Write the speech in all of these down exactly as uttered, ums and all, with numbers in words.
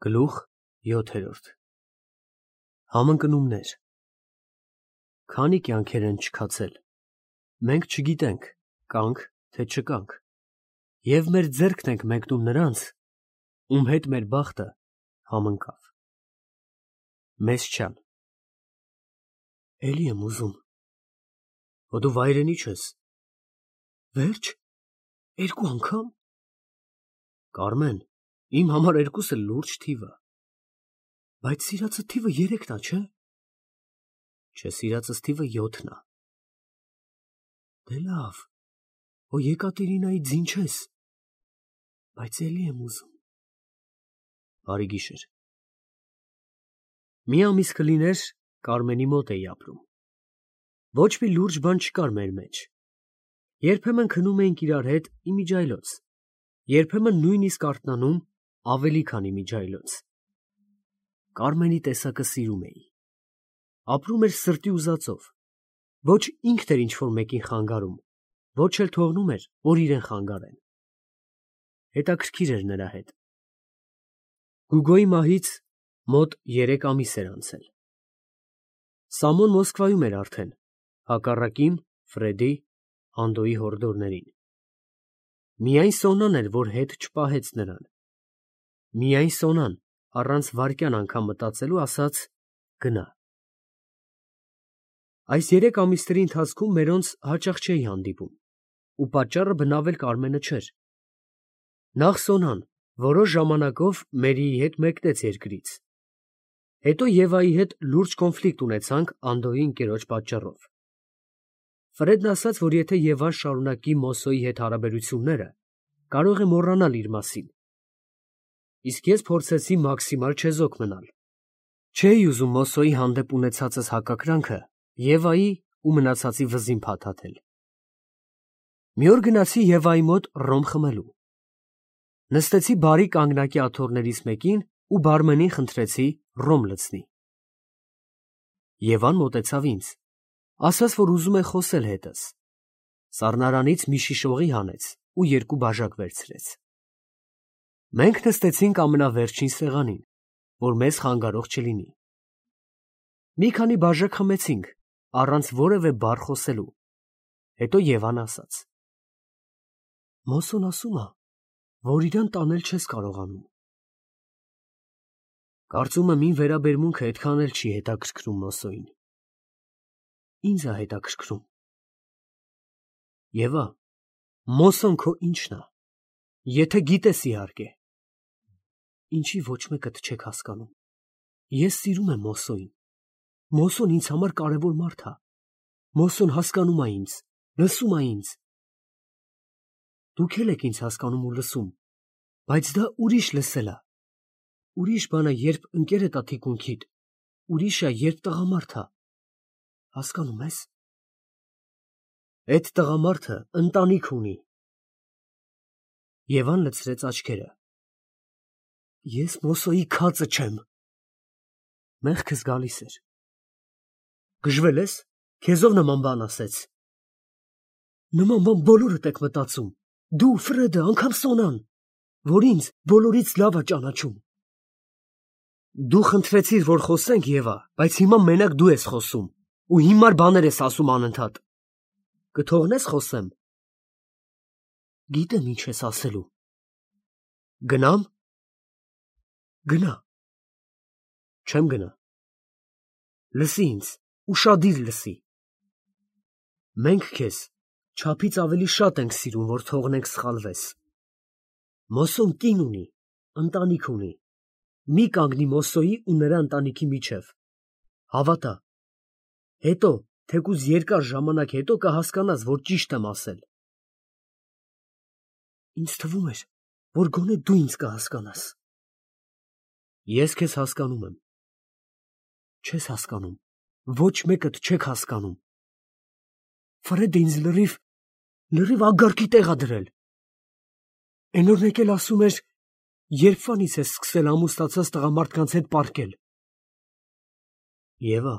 Գլուխ յոթերորդ Համընկնումներ Քանի կյանքեր են չքացել, մենք չգիտենք, կանք, թե չկանք, և մեր ձեռքն ենք մեկնում նրանց, ում հետ մեր բախտը համընկավ։ Մեսչան Էլի եմ ուզում, հո դու վայրենի չես։ Վերջ, երկու անգամ։ Կարմեն, իմ համար երկուսը լուրջ թիվ է։ Բայց սիրածը թիվը երեքն է, չէ՞։ Չէ, սիրածս թիվը յոթն է։ Դե լավ, հո Եկատերինայի ձին չես։ Բայց էլի եմ ուզում։ Բարի գիշեր։ Մի ամիս կլիներ, Կարմենի մոտ էի ապրում։ Ոչ մի լուրջ բան չկար մեր մեջ։ Երբեմն քնում էինք իրար հետ իմիջիայլոց, երբեմն նույնիսկ արթնանում ավելի քան իմիջիայլոց։ Կարմենի տեսակը սիրում էի։ Ապրում էր սրտի ուզածով։ Ոչ ինքն էր ինչ-որ մեկին խանգարում, ոչ էլ թողնում էր, որ իրեն խանգարեն։ Հետաքրքիր էր նրա հետ։ Գուգոյի մահից մոտ երեք ամիս էր անցել։ Սամոն Մոսկվայում էր արդեն, հակառակ իմ, Ֆրեդի, Անդոյի հորդորներին։ Միայն Սոնան էր, որ հետ չպահեց նրան։ Միայն Սոնան, առանց վայրկյան անգամ մտածելու, ասաց գնա։ Այս երեք ամիսների ընթացքում մերոնց հաճախ չէի հանդիպում, ու պատճառը բնավ էլ Կարմենը չէր։ Նախ Սոնան որոշ ժամանակով Մերիի հետ մեկնեց երկրից։ Հետո Եվայի հետ լուրջ կոնֆլիկտ ունեցանք Անդոյի ընկերոջ պատճառով։ Ֆրեդն ասաց, որ եթե Եվան շարունակի Մոսոյի հետ հարաբերությունները, կարող է մոռանալ իր մասին։ Իսկ ես փորձեցի մաքսիմալ չեզոք մնալ։ Չէի ուզում Մոսոյի հանդեպ ունեցածս հակակրանքը Եվայի ու մնացածի վզին փաթաթել։ Մի օր գնացի Եվայի մոտ ռոմ խմելու։ Նստեցի բարի կանգնակի աթոռներից մեկին ու բարմենին խնդրեցի ռոմ լցնի։ Եվան մոտեցավ ինձ, ասաց, որ ուզում է խոսել հետս։ Սառնարանից մի շիշ օղի հանեց ու երկու բաժակ վերցրեց։ Մենք նստեցինք ամենավերջին սեղանին, որ մեզ խանգարող չլինի։ Մի քանի բաժակ խմեցինք, առանց որևէ բառ խոսելու։ Հետո Եվան ասաց. Մոսոն ասում է, որ իրան տանել չես կարողանում։ Կարծում եմ իմ վերաբերմունքը այդքան էլ չի հետաքրքրում Մոսոյին։ Ինձ է հետաքրքրում։ Եվա, Մոսոն քո ինչն է, եթե գիտես իհարկե։ Ինչի ոչ մեկդ չեք հասկանում։ Ես սիրում եմ Մոսոյին։ Մոսոն ինձ համար կարևոր մարդ է։ Մոսոն հասկանում է ինձ, լսում է ինձ։ Դուք էլ եք ինձ հասկանում ու լսում, բայց դա ուրիշ լսել է։ Ուրիշ բան է, երբ ընկերդ է թիկունքիդ, ուրիշ է, երբ տղամարդ է։ Հասկանում ես։ Էդ տղամարդը ընտանիք ունի։ Եվան լցրեց աչքերը։ Ես Մոսոյի քածը չեմ։ Մեղքս գալիս էր։ Գժվել ես, քեզով նման բան ասեց։ Նման բան բոլորդ եք մտածում, դու, Ֆրեդը, անգամ Սոնան, որ ինձ բոլորից լավ է ճանաչում։ Դու խնդրեցիր, որ խոսենք, Եվա, բայց հիմա մենակ դու ես խոսում, ու հիմար բաներ ես ասում անընդհատ։ Կթողնես խոսեմ։ Գիտեմ ինչ ես ասելու։ Գնամ։ Գնա։ Չեմ գնա։ Լսի ինձ, ուշադիր լսի։ Մենք քեզ չափից ավելի շատ ենք սիրում, որ թողնենք սխալվես։ Մոսոն կին ունի, ընտանիք ունի։ Մի կանգնի Մոսոյի ու նրա ընտանիքի միջև։ Հավատա։ Հետո, թեկուզ երկար ժամանակ հետո կհասկանաս, որ ճիշտ եմ ասել։ Ինձ թվում էր, որ գոնե դու ինձ կհասկանաս։ Ես քեզ հասկանում եմ։ Չես հասկանում, ոչ մեկդ չեք հասկանում։ Ֆրեդը ինձ լրիվ, լրիվ ագարկի տեղ է դրել։ Էն օրն եկել ասում էր, երբվանից ես սկսել ամուսնացած տղամարդկանց հետ պառկել։ Եվա,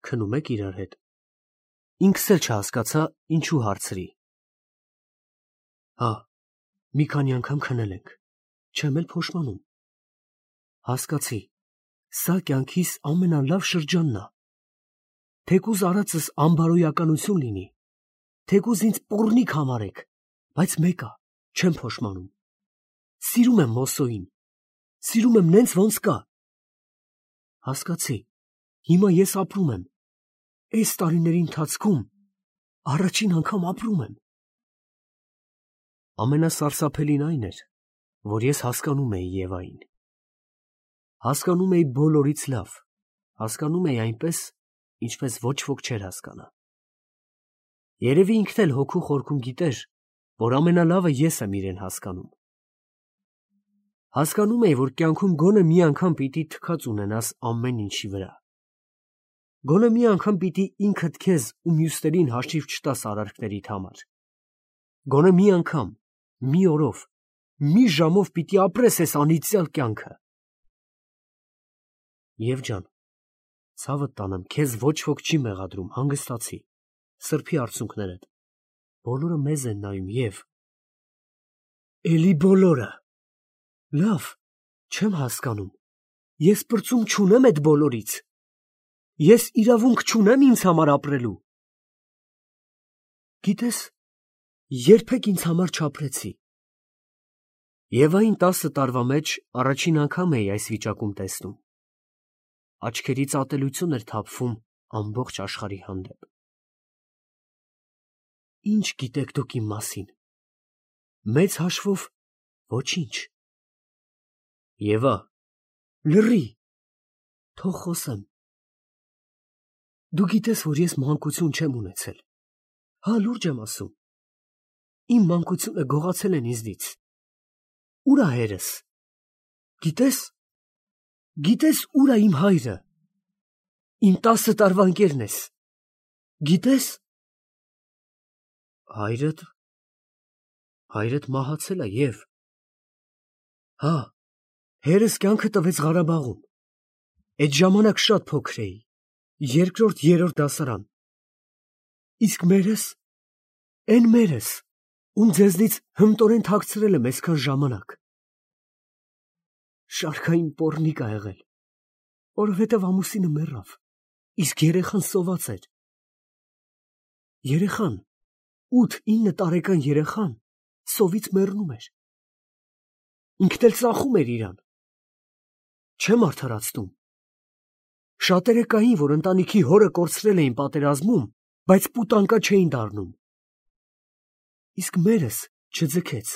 քնում եք իրար հետ։ Ինքս էլ չհասկացա, ինչու հարցրի։ Հա, մի քանի անգամ քնել ենք, չեմ էլ փոշմանում։ Հասկացի, սա կյանքիս ամենալավ շրջանն է։ Թեկուզ արածս անբարոյականություն լինի, թեկուզ ինձ պոռնիկ համարեք, բայց մեկ է, չեմ փոշմանում։ Սիրում եմ Մոսոին, սիրում եմ նենց ոնց կա։ Հասկացի, հիմա ես ապրում եմ, այս տարիների ընթացքում առաջին անգամ ապրում եմ։ Ամենասարսափելին այն էր, որ ես հասկանում էի Եվային։ Հասկանում էի բոլորից լավ, հասկանում էի այնպես, ինչպես ոչ ոք չէր հասկանա։ Երևի ինքն էլ հոգու խորքում գիտեր, որ ամենալավը ես եմ իրեն հասկանում։ Հասկանում էի, որ կյանքում գոնե մի անգամ պիտի թքած ունենաս ամեն ինչի վրա։ Գոնե մի անգամ պիտի ինքդ քեզ ու մյուսներին հաշիվ չտաս արարքներիդ համար։ Գոնե մի անգամ, մի օրով, մի ժամով պիտի ապրես այս անիծյալ կյանքը։ Եվ ջան, ցավդ տանեմ, քեզ ոչ ոք չի մեղադրում, հանգստացի, սրբի արցունքներդ, բոլորը մեզ են նայում և… Էլի բոլորը… Լավ, չեմ հասկանում, ես պրծում չունեմ էդ բոլորից, ես իրավունք չունեմ ինձ համար ապրելու։ Գիտես, երբեք ինձ համար չապրեցի։ Եվային տասը տարվա մեջ առաջին անգամ էի այս վիճակում տեսնում։ Աչքերից ատելություն էր թափվում ամբողջ աշխարհի հանդեպ։ Ինչ գիտեք դուք իմ մասին։ Մեծ հաշվով ոչինչ։ Եվա, լռի, թող խոսեմ։ Դու գիտես, որ ես մանկություն չեմ ունեցել։ Հա, լուրջ եմ ասում։ Իմ մանկությունը գողացել են ինձնից։ Ուր է հայրս։ Գիտես, գիտես ուր է իմ հայրը։ Իմ տասը տարվա ընկերն ես։ Գիտես։ Հայրդ, հայրդ մահացել է և… Հա, հերս կյանքը տվեց Ղարաբաղում։ Էդ ժամանակ շատ փոքր էի, երկրորդ, երրորդ դասարան։ Իսկ մերս, էն մերս, ում ձեզնից հմտորեն թաքցրել եմ այսքան ժամանակ։ Շարքային պոռնիկ ա եղել, որովհետև ամուսինը մեռավ, իսկ երեխան սոված էր։ Երեխան, ութ֊ինը տարեկան երեխան սովից մեռնում էր։ Ինքն էլ ծախում էր իրան։ Չեմ արդարացնում։ Շատերը կային, որ ընտանիքի հորը կորցրել էին պատերազմում, բայց պուտանկա չէին դառնում։ Իսկ մերս չձգեց։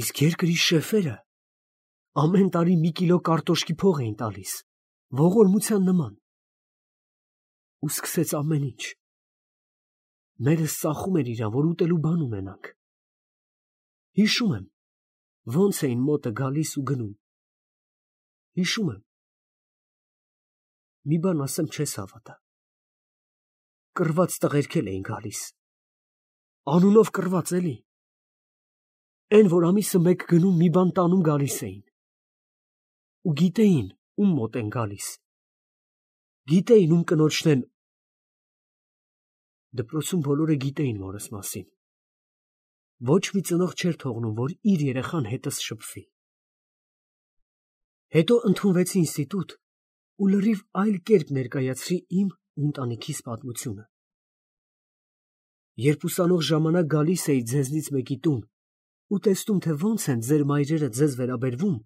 Իսկ երկրի շեֆերը ամեն տարի մի կիլո կարտոշկի փող էին տալիս, ողորմության նման։ Ու սկսեց ամեն ինչ։ Մերս ծախում էր իրան, որ ուտելու բան ունենանք։ Հիշում եմ, ոնց էին մոտը գալիս ու գնում։ Հիշում եմ։ Մի բան ասեմ, չես հավատա։ Կռված տղերքել էին գալիս։ Անունով կռված, էլի։ Էն, որ ամիսը մեկ գնում մի բան տանում գալիս էին։ Ու գիտեին, ում մոտ են գալիս։ Գիտեին, ում կնոջն են… Դպրոցում բոլորը գիտեին մորս մասին։ Ոչ մի ծնող չէր թողնում, որ իր երեխան հետս շփվի։ Հետո ընդունվեցի ինստիտուտ ու լրիվ այլ կերպ ներկայացրի իմ ու ընտանիքիս պատմությունը։ Երբ ուսանող ժամանակ գալիս էի ձեզնից մեկի տուն ու տեսնում, թե ոնց են ձեր մայրերը ձեզ վերաբերվում,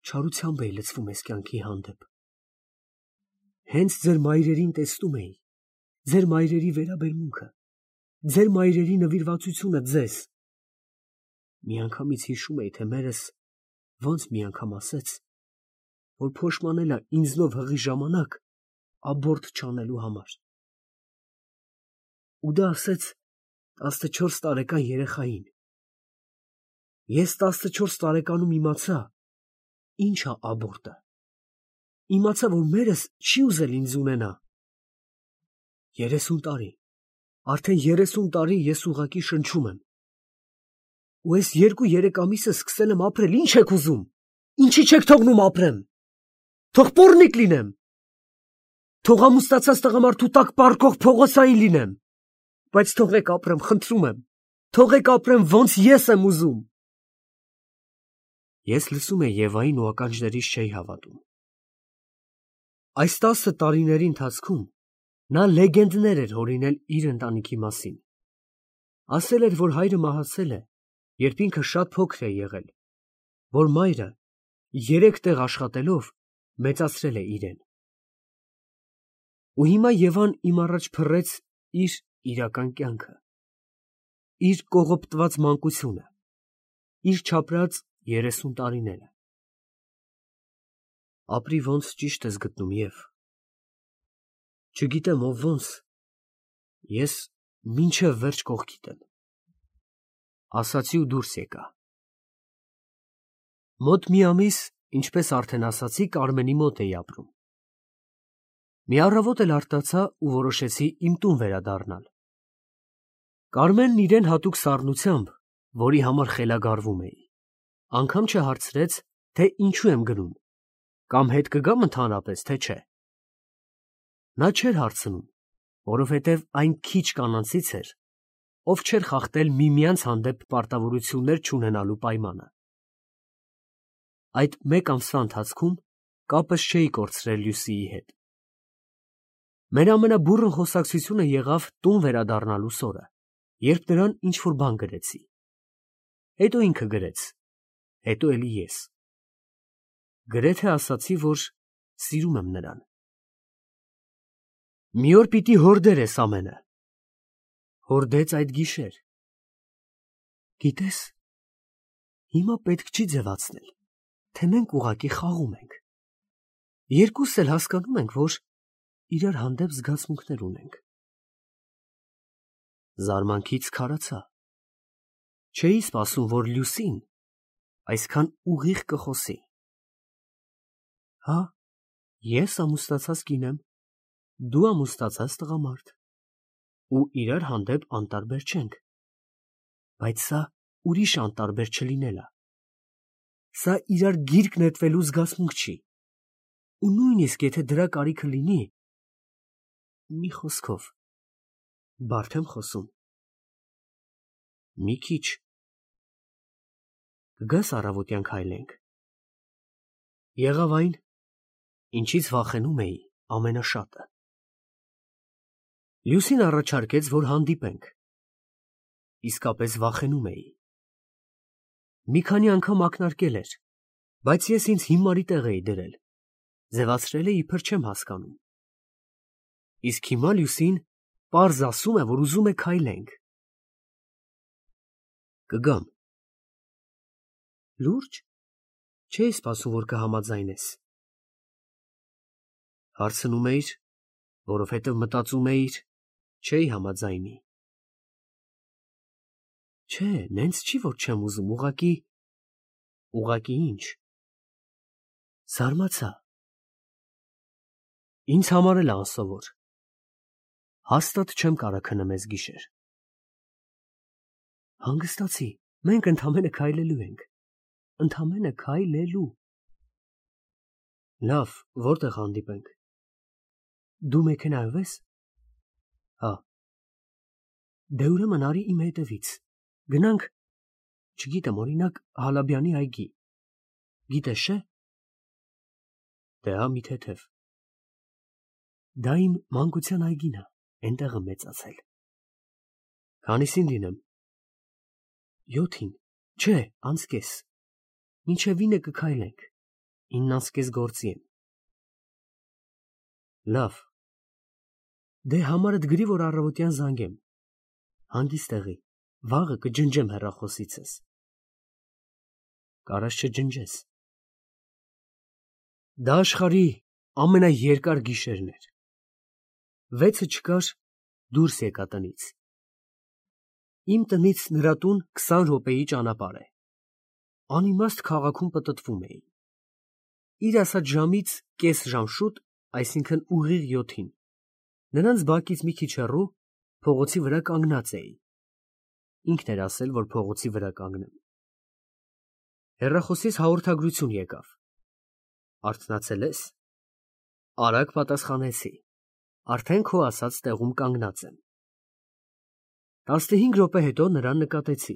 չարությամբ էի լցվում այս կյանքի հանդեպ։ Հենց ձեր մայրերին տեսնում էի, ձեր մայրերի վերաբերմունքը, ձեր մայրերի նվիրվածությունը ձեզ։ Միանգամից հիշում էի, թե մերս ոնց մի անգամ ասեց, որ փոշմանել է ինձնով հղի ժամանակ աբորտ չանելու համար։ Ու դա ասեց տասնչորս տարեկան երեխային։ Ես տասնչորս տարեկանում իմացա, ինչ է աբորտը։ Իմացա, որ մերս չի ուզել ինձ ունենա։ Երեսուն տարի, արդեն երեսուն տարի ես ուղղակի շնչում եմ։ Ու այս երկու-երեք ամիսը սկսել եմ ապրել, ինչ եք ուզում, ինչի չեք թողնում ապրեմ, թող պոռնիկ լինեմ, թող ամուսնացած տղամարդու տակ պառկող փողոցային լինեմ, բայց թողեք ապրեմ, խնդրում եմ, թողեք ապրեմ, ոնց ես եմ ուզում։ Ես լսում էի Եվային ու ականջներիս չէի հավատում։ Այս տասը տարիների ընթացքում նա լեգենդներ էր հորինել իր ընտանիքի մասին։ Ասել էր, որ հայրը մահացել է, երբ ինքը շատ փոքր է եղել, որ մայրը երեք տեղ աշխատելով մեծացրել է իրեն։ Ու հիմա Եվան իմ առաջ փռեց իր իրական կյանքը, իր կողոպտված մանկությունը, իր չապրած երեսուն տարիները։ Ապրի ոնց ճիշտ ես գտնում, Եվ։ Չգիտեմ ով ոնց, ես մինչև վերջ կողքիդ եմ։ Ասացի ու դուրս եկա։ Մոտ մի ամիս, ինչպես արդեն ասացի, Կարմենի մոտ էի ապրում։ Մի առավոտ էլ արտացա ու որոշեցի իմ տուն վերադառնալ։ Կարմենն իրեն հատուկ սառնությամբ, որի համար խելագարվում էի, անգամ չհարցրեց, թե ինչու եմ գնում, կամ հետ կգամ ընդհանրապես, թե չէ։ Նա չէր հարցնում, որովհետև այն քիչ կանանցից էր, ով չէր խախտել միմյանց հանդեպ պարտավորություններ չունենալու պայմանը։ Այդ մեկ ամսվա ընթացքում կապս չէի կորցրել Լյուսիի հետ։ Մեր ամենաբուռն խոսակցությունը եղավ տուն վերադառնալու սորը, երբ նրան ինչ-որ բան գրեցի։ Հետո ինքը գրեց, հետո էլի ես։ Գրեթե ասացի, որ սիրում եմ նրան։ Մի օր պիտի հորդեր ես ամենը։ Հորդեց այդ գիշեր։ Գիտես, հիմա պետք չի ձևացնել, թե մենք ուղղակի խաղում ենք։ Երկուսս էլ հասկանում ենք, որ իրար հանդեպ զգացմունքներ ունենք։ Զարմանքից քարացա։ Չէի սպասում, որ Լյուսին այսքան ուղիղ կխոսի։ Հա, ես ամուսնացած կին եմ, դու ամուսնացած տղամարդ, ու իրար հանդեպ անտարբեր չենք, բայց սա ուրիշ անտարբեր չլինելա։ Սա իրար գիրկ նետվելու զգացմունք չի, ու նույնիսկ եթե դրա կարիքը լինի, մի խոսքով, բարդ եմ խոսում։ Մի քիչ։ Կգաս առավոտյան քայլենք։ Եղավ այն, ինչից վախենում էի ամենաշատը։ Լյուսին առաջարկեց, որ հանդիպենք։ Իսկապես վախենում էի։ Մի քանի անգամ ակնարկել էր, բայց ես ինձ հիմարի տեղ էի դրել, ձևացրել է իբր չեմ հասկանում։ Իսկ հիմա Լյուսին պարզ ասում է, որ ուզում է քայլենք։ Կգամ։ Լուրջ, չէի սպասում, որ կհամաձայնես։ Հարցնում էիր, որովհետև մտածում էիր, չէի համաձայնի։ Չէ, նենց չի, որ չեմ ուզում, ուղղակի… Ուղղակի ինչ։ Զարմացա։ Ինձ համար էլ անսովոր։ Հաստատ չեմ կարող քնեմ էս գիշեր։ Հանգստացի, մենք ընդամենը քայլելու ենք, ընդամենը քայլելու։ Լավ, որտեղ հանդիպենք։ Դու մեքենայով ես։ Հա։ Դե ուրեմն արի իմ հետևից, գնանք, չգիտեմ, օրինակ Հալաբյանի այգի, գիտես չէ։ Դե հա, մի թեթև։ Դա իմ մանկության այգին է, էնտեղ եմ մեծացել։ Քանիսին լինեմ։ Յոթին, չէ, անցկես, մինչև ինը կքայլենք, ինն անցկես գործի եմ։ Լավ, դե համարդ գրի, որ առավոտյան զանգեմ, հանգիստ տեղի, վաղը կջնջեմ հեռախոսիցս։ Կարաս չջնջես։ Դա աշխարհի ամենաերկար գիշերն էր։ Վեցը չկար, դուրս եկա տնից։ Իմ տնից նրա տուն քսան րոպեի ճանապարհ է։ Անիմաստ քաղաքում պտտվում էի։ Իր ասած ժամից կես ժամ շուտ, այսինքն ուղիղ յոթին, նրանց բակից մի քիչ հեռու փողոցի վրա կանգնած էի։ Ինքն էր ասել, որ փողոցի վրա կանգնեմ։ Հեռախոսից հաղորդագրություն եկավ։ Արթնացել ես։ Արագ պատասխանեցի։ Արդեն քո ասած տեղում կանգնած եմ։ Տասնհինգ րոպե հետո նրան նկատեցի։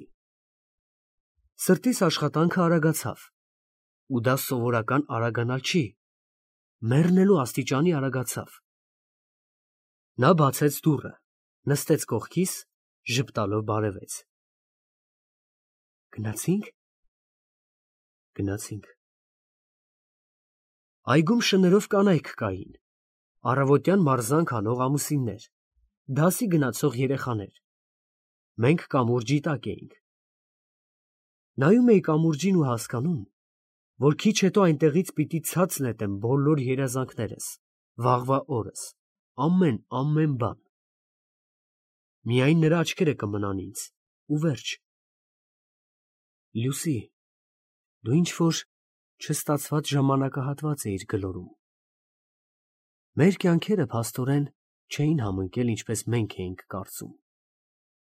Սրտիս աշխատանքը արագացավ, ու դա սովորական արագանալ չի, մեռնելու աստիճանի արագացավ։ Նա բացեց դուռը, նստեց կողքիս, ժպտալով բարևեց։ Գնացի՞նք։ Գնացինք։ Այգում շներով կանայք կային, առավոտյան մարզանք անող ամուսիններ, դասի գնացող երեխաներ։ Մենք կամուրջի տակ էինք։ Նայում էի կամուրջին ու հասկանում, որ քիչ հետո այնտեղից պիտի ցած նետեմ բոլոր երազանքներս, վաղվա օրս, ամեն, ամեն բան։ Միայն նրա աչքերը կմնան ինձ, ու վերջ։ Լուսի, դու ինչ-որ չստացված ժամանակահատված էիր գլորում։ Մեր կյանքերը փաստորեն չէին համընկել, ինչպես մենք էինք կարծում։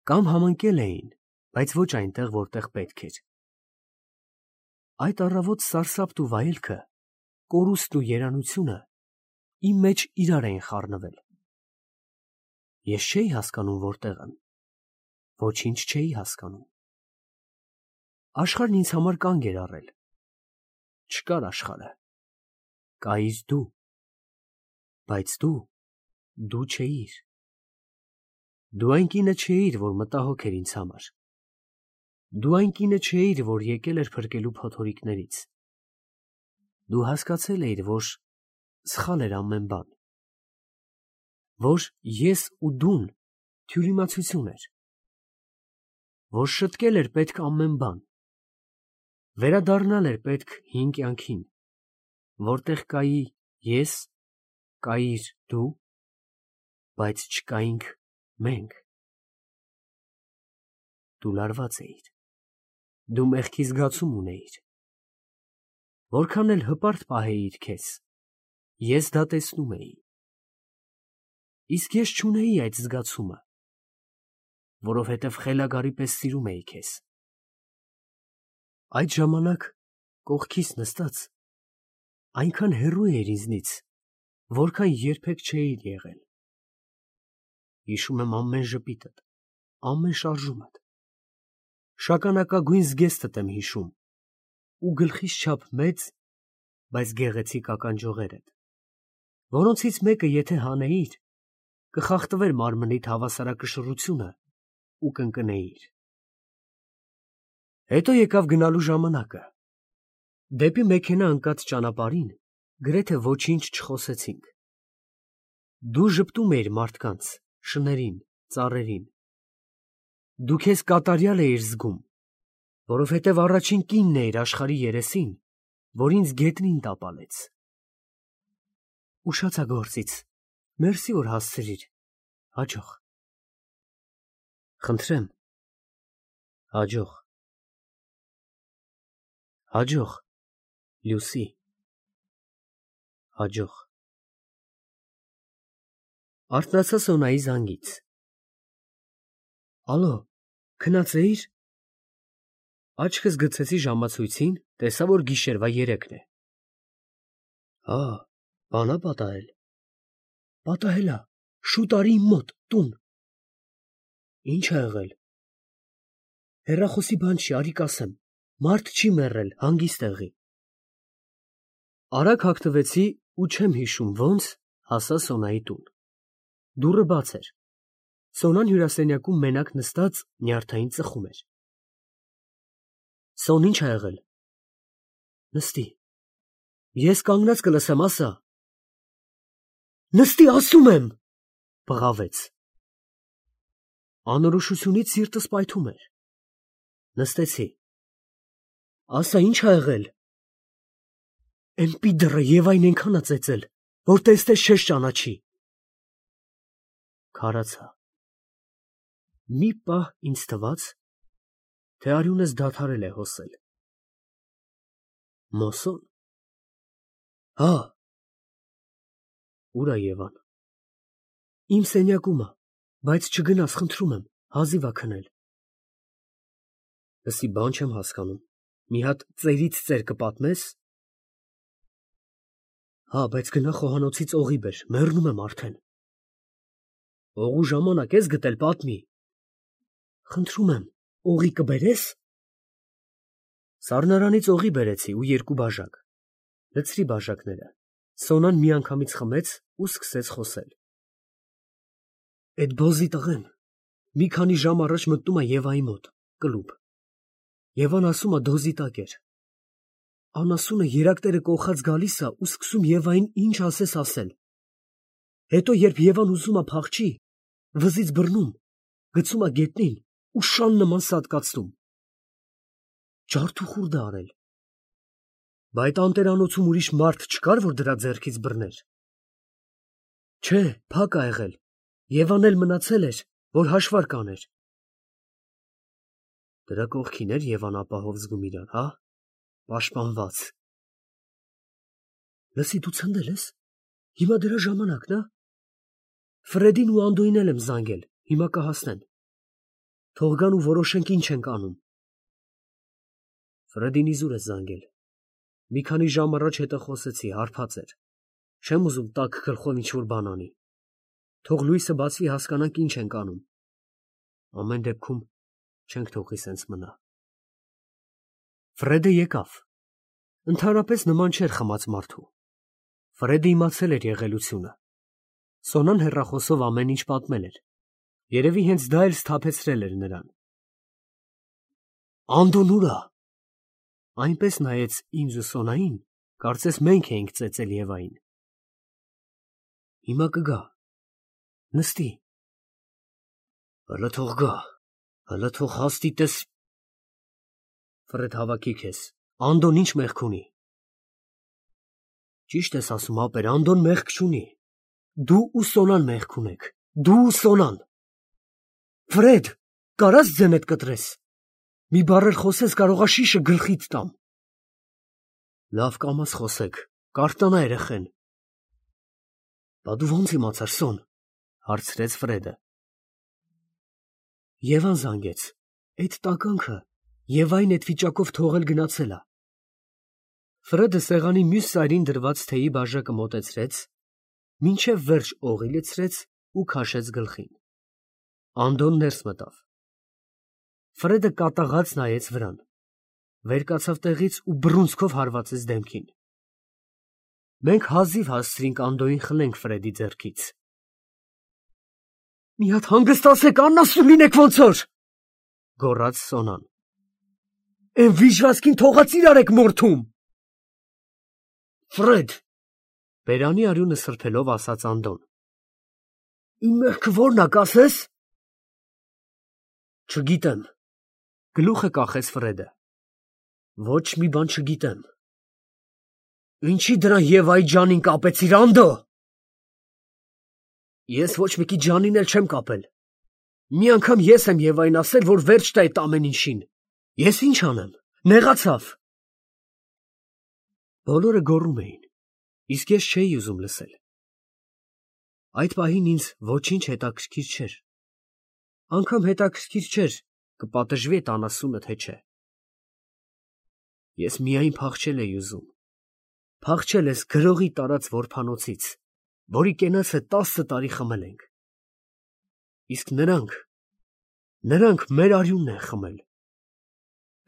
Կամ համընկել էին, բայց ոչ այնտեղ, որտեղ պետք էր։ Այդ առավոտ սարսափն ու վայելքը, կորուստն ու երանությունը իմ մեջ իրար էին խառնվել։ Ես չէի հասկանում որտեղ եմ, ոչինչ չէի հասկանում։ Աշխարհն ինձ համար կանգ էր առել։ Չկար աշխարհը, կայիր դու, բայց դու, դու չէիր։ Դու այն կինը չէիր, որ մտահոգ էր ինձ համար։ Դու այն կինը չէիր, որ եկել էր փրկելու փոթորիկներից։ Դու հասկացել էիր, որ սխալ էր ամեն բան, որ ես ու դուն թյուրիմացություն էր, որ շտկել էր պետք ամեն բան, վերադառնալ էր պետք հին կյանքին, որտեղ կայի ես, կայիր դու, բայց չկայինք մենք։ Դու լարված էիր, դու մեղքի զգացում ունեիր։ Որքան էլ հպարտ պահեիր քեզ, ես դա տեսնում էի։ Իսկ ես չունեի այդ զգացումը, որովհետև խելագարի պես սիրում էի քեզ։ Այդ ժամանակ կողքիս նստած այնքան հեռու էիր ինձնից, որքան երբեք չէիր եղել։ Հիշում եմ ամեն ժպիտդ, ամեն շարժումդ, շագանակագույն զգեստդ եմ հիշում ու գլխիս չափ մեծ, բայց գեղեցիկ ականջողերդ, որոնցից մեկը եթե հանեիր, կխախտվեր մարմնիդ հավասարակշռությունը ու կընկնեիր։ Հետո եկավ գնալու ժամանակը։ Դեպի մեքենա ընկած ճանապարհին գրեթե ոչինչ չխոսեցինք։ Դու ժպտում էիր մարդկանց, շներին, ծառերին։ Դու քեզ կատարյալ էիր զգում, որովհետև առաջին կինն էիր աշխարհի երեսին, որ ինձ գետնին տապալեց։ Ուշացա գործից, մերսի որ հասցրիր, հաջող։ Խնդրեմ, հաջող։ Հաջող, Լուսի, հաջող։ Արթնացա Սոնայի զանգից։ Ալո, քնած էիր։ Աչքս գցեցի ժամացույցին, տեսա, որ գիշերվա երեքն է։ Հա, բան ա պատահել։ Պատահել ա, շուտ արի իմ մոտ, տուն։ Ինչ ա եղել։ Հեռախոսի բան չի, արի կասեմ, մարդ չի մեռել, հանգիստ եղի։ Արագ հագնվեցի ու չեմ հիշում ոնց հասա Սոնայի տուն։ Դուռը բաց էր։ Սոնան հյուրասենյակում մենակ նստած նյարդային ծխում էր։ Սոն, ինչ ա եղել։ Նստի։ Ես կանգնած կլսեմ, ասա։ Նստի, ասում եմ, բղավեց։ Անորոշությունից սիրտս պայթում էր։ Նստեցի։ Ասա, ինչ ա եղել։ Էն պիդռը Եվային այնքան ա ծեծել, որ տեսնես չես ճանաչի։ Քարացա։ Մի պահ ինձ թվաց, թե արյունս դադարել է հոսել։ Մոսոն։ Հա։ Ուր ա Եվան։ Իմ սենյակում ա, բայց չգնաս, խնդրում եմ, հազիվ ա քնել։ Լսի, բան չեմ հասկանում, մի հատ ծերից ծեր կպատմես։ Հա, բայց գնա խոհանոցից օղի բեր, մեռնում եմ արդեն։ Օղու ժամանակ ես գտել, պատմի։ Խնդրում եմ, օղի կբերես։ Սառնարանից օղի բերեցի ու երկու բաժակ, լցրի բաժակները, Սոնան միանգամից խմեց ու սկսեց խոսել. Էդ բոզի տղեն մի քանի ժամ առաջ մտնում է Եվայի մոտ, կլուբ, Եվան ասում է դոզի տակ էր, անասունը երակտերը կողած գալիս է ու սկսում Եվային ինչ ասես ասել, հետո երբ Եվան ուզում է փախչի, վզից բռնում, գցում է գետնին ու շան նման սատկացնում, ջարդ ու խուրդ է արել, բա այդ անտերանոցում ուրիշ մարդ չկար, որ դրա ձեռքից բռներ, չէ, փակ ա եղել, Եվան էլ մնացել էր, որ հաշվարկ աներ, դրա կողքին էր Եվան ապահով զգում իրան, հա, պաշտպանված, լսի դու ցնդել ես, հիմա դրա ժամանակն ա, Ֆրեդին ու Անդոյին էլ եմ զանգել, հիմա կհասնեն, թող գան ու որոշենք ինչ ենք անում, Ֆրեդին իզուր ես զանգել, մի քանի ժամ առաջ հետը խոսեցի, հարբած էր, չեմ ուզում տաք գլխով ինչ-որ բան անի, թող լույսը բացվի հասկանանք ինչ ենք անում, ամեն դեպքում չենք թողի սենց մնա։ Ֆրեդը եկավ, ընդհանրապես նման չէր խմած մարդու, Ֆրեդը իմացել էր եղելությունը, Սոնան հեռախոսով ամեն ինչ պատմել էր, երևի հենց դա էլ սթափեցրել էր նրան։ Անդոն ուր ա։ Այնպես նայեց ինձ ու Սոնային, կարծես մենք էինք ծեծել Եվային։ Հիմա կգա, նստի։ Հլը թող գա, հլը թող հաստի տես։ Ֆրեդ հավաքի քեզ, Անդոն ինչ մեղք ունի։ Ճիշտ ես ասում, ապեր, Անդոն մեղք չունի։ Դու ու Սոնան մեղք ունեք, դու ու Սոնան։ Ֆրեդ, կարաս ձենդ կտրես։ Մի բառ էլ խոսես, կարողա շիշը գլխիդ տամ։ Լավ կամաց խոսեք, կարտանա երեխեն։ Բա դու ո՞նց իմացար, Սոն, հարցրեց Ֆրեդը։ Եվան զանգեց, այդ տականքը Եվային այդ վիճակով թողել գնացել ա։ Ֆրեդը սեղանի մյուս սայրին դրված թեյի բաժակը մոտեցրեց, մինչև վերջ օղի լցրեց ու քաշեց գլխին։ Անդոն ներս մտավ։ Ֆրեդը կատաղած նայեց վրան, վեր կացավ տեղից ու բռունցքով հարվածեց դեմքին։ Մենք հազիվ հասցրինք Անդոյին խլենք Ֆրեդի ձեռքից։ Մի հատ հանգստացեք, աննասուն լինեք ոնց որ, գոռաց Սոնան։ Էն վիժվածքին թողած իրար եք մորթում։ Ֆրեդ, բերանի արյունը սրբելով ասաց Անդոն։ Իմ մեղքը ո՞րն ա, կասես։ Չգիտեմ, գլուխը կախեց Ֆրեդը։ Ոչ մի բան չգիտեմ։ Ինչի դրան Եվայի ջանին կապեցիր, Անդո։ Ես ոչ մեկի ջանին էլ չեմ կապել։ Մի անգամ ես եմ Եվային ասել, որ վերջ տա այդ ամեն ինչին։ Ես ինչ անեմ, նեղացավ։ Բոլորը գոռում էին, իսկ ես չէի ուզում լսել։ Այդ պահին ինձ ոչինչ հետաքրքիր չէր։ Անգամ հետաքրքիր չէր, կպատժվի այդ անասունը, թե չէ։ Ես միայն փախչել էի ուզում։ Փախչել ես գրողի տարած որբանոցից, որի կենացը տասը տարի խմել ենք։ Իսկ նրանք, նրանք մեր արյունն են խմել։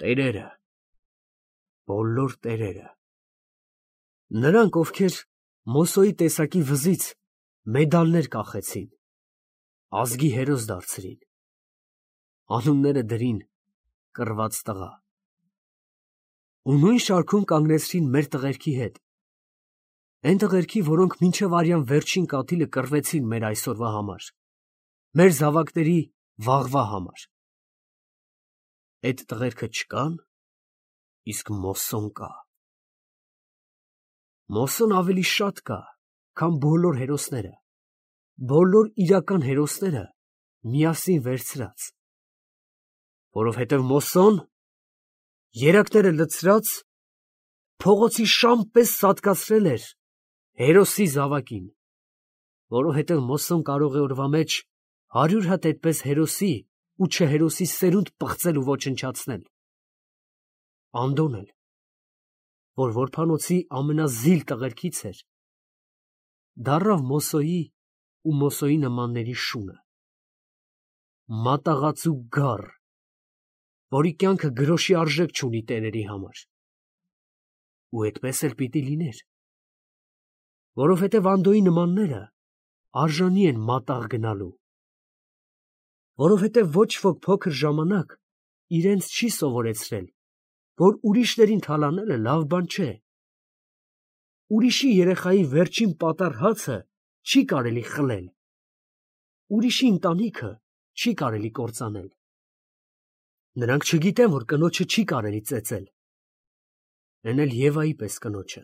Տերերը, բոլոր տերերը։ Նրանք, ովքեր Մոսոյի տեսակի վզից մեդալներ կախեցին, ազգի հերոս դարձրին, անունները դրին կռված տղա։ Ու նույն շարքում կանգնեցրին մեր տղերքի հետ, այն տղերքի, որոնք մինչև արյան վերջին կաթիլը կռվեցին մեր այսօրվա համար, մեր զավակների վաղվա համար։ Այդ տղերքը չկան, իսկ Մոսոն կա։ Մոսոն ավելի շատ կա, քան բոլոր հերոսները, բոլոր իրական հերոսները միասին վերցրած, որովհետև Մոսոն երակները լցրած փողոցի շան պես սատկացրել էր հերոսի զավակին, որովհետև Մոսոն կարող է օրվա մեջ հարյուր հատ այդպես հերոսի ու չհերոսի սերունդ պղծել ու ոչնչացնել։ Անդոն էլ, որ որբանոցի ամենազիլ տղերքից էր, դառավ Մոսոյի ու Մոսոյի նմանների շունը, մատաղացու գառ, որի կյանքը գրոշի արժեք չունի տերերի համար։ Ու այդպես էլ պիտի լիներ, որովհետև Անդոյի նմանները արժանի են մատաղ գնալու, որովհետև ոչ ոք փոքր ժամանակ իրենց չի սովորեցրել, որ ուրիշներին թալանելը լավ բան չէ։ Ուրիշի երեխայի վերջին պատառ հացը չի կարելի խլել, ուրիշի ընտանիքը չի կարելի կործանել։ Նրանք չգիտեն, որ կնոջը չի կարելի ծեծել, են էլ Եվայի պես կնոջը։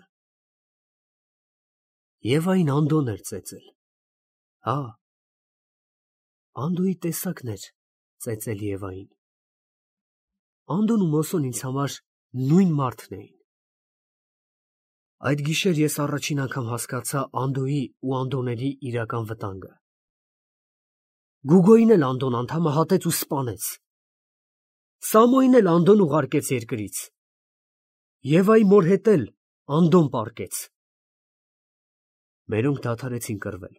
Եվային Անդոն էր ծեծել, հա, Անդոյի տեսակն էր ծեծել Եվային։ Անդոն ու Մոսոն ինձ համար նույն մարդն էին։ Այդ գիշեր ես առաջին անգամ հասկացա Անդոյի ու Անդոների իրական վտանգը։ Գուգոյին էլ Անդոն անդամահատեց ու սպանեց։ Սամոյին էլ Անդոն ուղարկեց երկրից։ Եվայի մոր հետ էլ Անդոն պառկեց։ Մերոնք դադարեցին կռվել։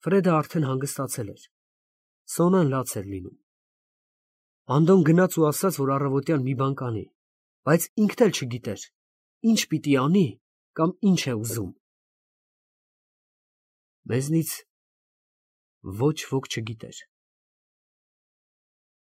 Ֆրեդը արդեն հանգստացել էր։ Սոնան լաց էր լինում։ Անդոն գնաց ու ասաց, որ առավոտյան մի բան կանի, բայց ինքն էլ չգիտեր ինչ պիտի անի կամ ինչ է ուզում։ Մեզնից ոչ ոք չգիտեր։